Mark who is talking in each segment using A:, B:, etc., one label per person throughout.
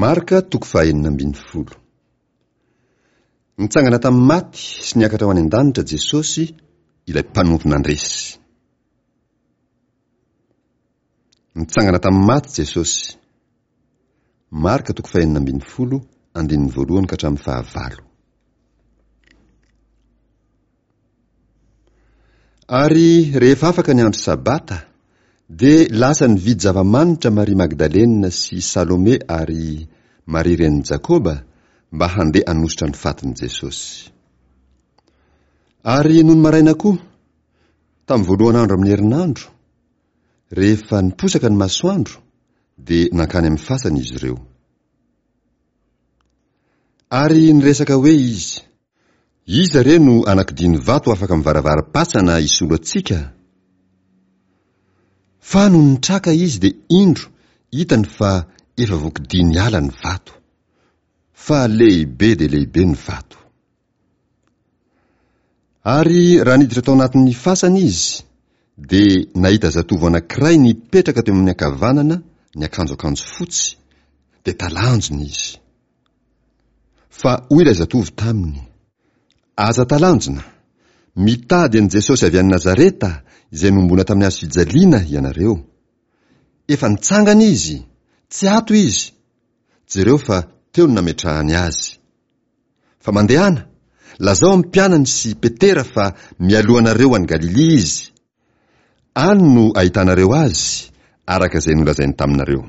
A: Marka toko fahaenina ambin'ny folo. Nitsangana tamin'ny maty sy niakatra ho any an-danitra Jesosy, ilay mpanompo nandresy. Nitsangana tamin'ny maty Jesosy. Marka toko fahenina ambin'ny folo, andininy voalohany ka hatramin'ny fahavalo. Ary rehefa afaka ny andro Sabata, dia lasa nividy zava-manitra Maria Magdalena sy Salome ary Maria renin'i Jakoba mba handeha hanosotra ny fatin'i Jesosy. Ary nony maraina koa, tamin'ny voalohan'andro amin'ny herinandro, rehefa niposaka ny masoandro, dia nankany amin'ny fasana izy ireo. Ary niresaka hoe izy, Iza re no anakidian'ny vato afaka mivaravaram-pasana hisolo antsika? Fa nony nitraka izy dia indro hitany fa efa voakidia niala ny vato. Fa lehibe dia lehibe ny vato. Ary raha niditra tao anatin'ny fasana izy, dia nahita zatovo anankiray nipetraka teo amin'ny ankavanana niakanjo akanjo fotsy, dia talanjona izy. Fa hoy ilay zatovo taminy, Aza talanjona! Mitady an'i Jesosy avy any Nazareta, izay nohomboana tamin'ny hazo fijaliana, ianareo. Efa nitsangana izy! Tsy ato izy! Jereo fa teo no nametrahany azy. Fa mandehana, lazao amin'ny mpianany sy Petera fa mialoha anareo any Galilia izy. Any no ahitanareo azy, araka izay nolazainy taminareo.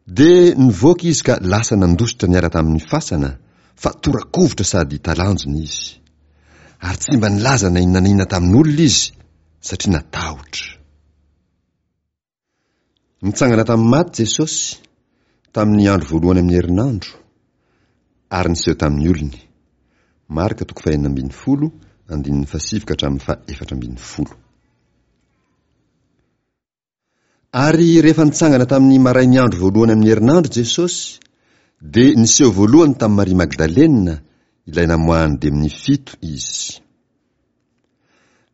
A: Dia nivoaka izy ka lasa nandositra niala tamin'ny fasana, fa tora-kovitra sady talanjona izy. Ary tsy mba nilaza na inona na inona tamin'olona izy, satria natahotra. Nitsangana tamin'ny maty Jesosy, tamin'ny andro voalohany amin'ny herinandro, ary niseho tamin'ny olony. Marka toko fahenina ambin'ny folo, andininy fahasivy ka hatramin'ny fahaefatra ambin'ny folo. Ary rehefa nitsangana tamin'ny marain'ny andro voalohany amin'ny herinandro Jesosy, dia niseho voalohany tamin'i Maria Magdalena, ilay namoahan'ny demonia fito, izy.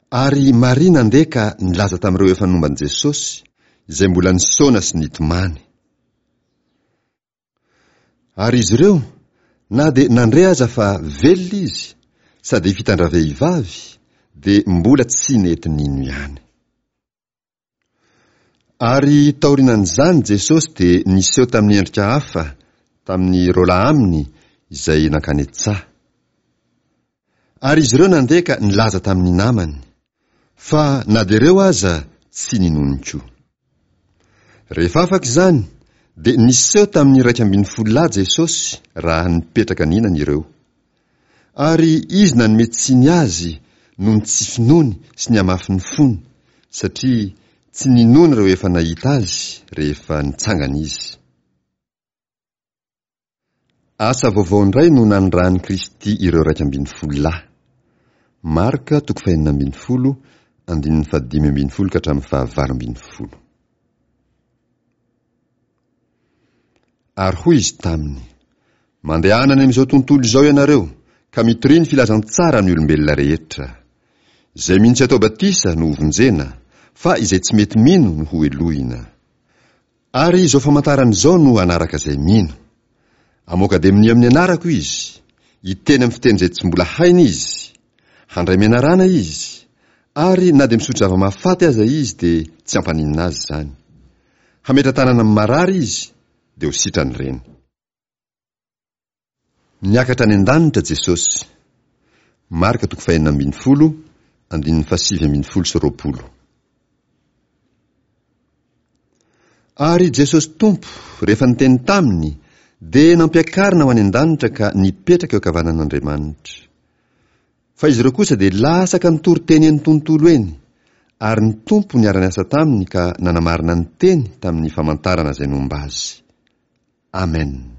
A: Ary Maria nandeha ka nilaza tamin'ireo efa nomba an'i Jesosy, izay mbola nisaona sy nitomany. Ary izy ireo, na dia nandre aza fa velona izy, sady fitan-dravehivavy, dia mbola tsy nety nino ihany. Ary taorianan'izany Jesosy dia niseho tamin'ny endrika hafa tamin'ny roalahy aminy izay nankany an-tsaha. Ary izy ireo nandeha ka nilaza tamin'ny namany, fa na dia ireo aza tsy ninoany koa. Rehefa afaka izany, dia niseho tamin'ny 11 lahy Jesosy raha nipetraka nihinana ireo. Ary izy nanome tsiny azy noho ny tsy finoany sy ny hamafin'ny fony, satria tsy ninoany ireo efa nahita azy rehefa nitsangana izy. Asa vaovao indray no nanirahan'i Kristy ireo 11 lahy. Marka toko fahenina ambin'ny folo, andininy fahadimy ambin'ny folo ka hatramin'ny fahavalo ambin'ny folo. Ary hoy izy taminy, Mandehana any amin'izao tontolo izao ianareo, ka mitoria ny filazantsara amin'ny olombelona rehetra. Izay mino sy atao batisa no hovonjena, fa izay tsy mety mino no hohelohina. Ary izao famantarana izao no hanaraka izay mino. Hamoaka demonia amin'ny anarako izy, hiteny amin'ny fiteny izay tsy mbola hainy izy, handray menarana izy, ary na dia misotro zava-mahafaty aza izy dia tsy hampaninona azy izany. Hametra-tanana amin'ny marary izy, dia ho sitrany ireny. Niakatra any an-danitra Jesosy. Marka toko fahenina ambin'ny folo, andininy fahasivy ambin'ny folo sy roapolo. Ary Jesosy Tompo, rehefa niteny taminy, dia nampiakarina ho any an-danitra ka nipetraka eo ankavanan'Andriamanitra. Fa izy ireo kosa dia lasa ka nitory teny eny tontolo eny, ary ny Tompo niara-niasa taminy ka nanamarina ny teny tamin'ny famantarana izay nomba azy. Amen.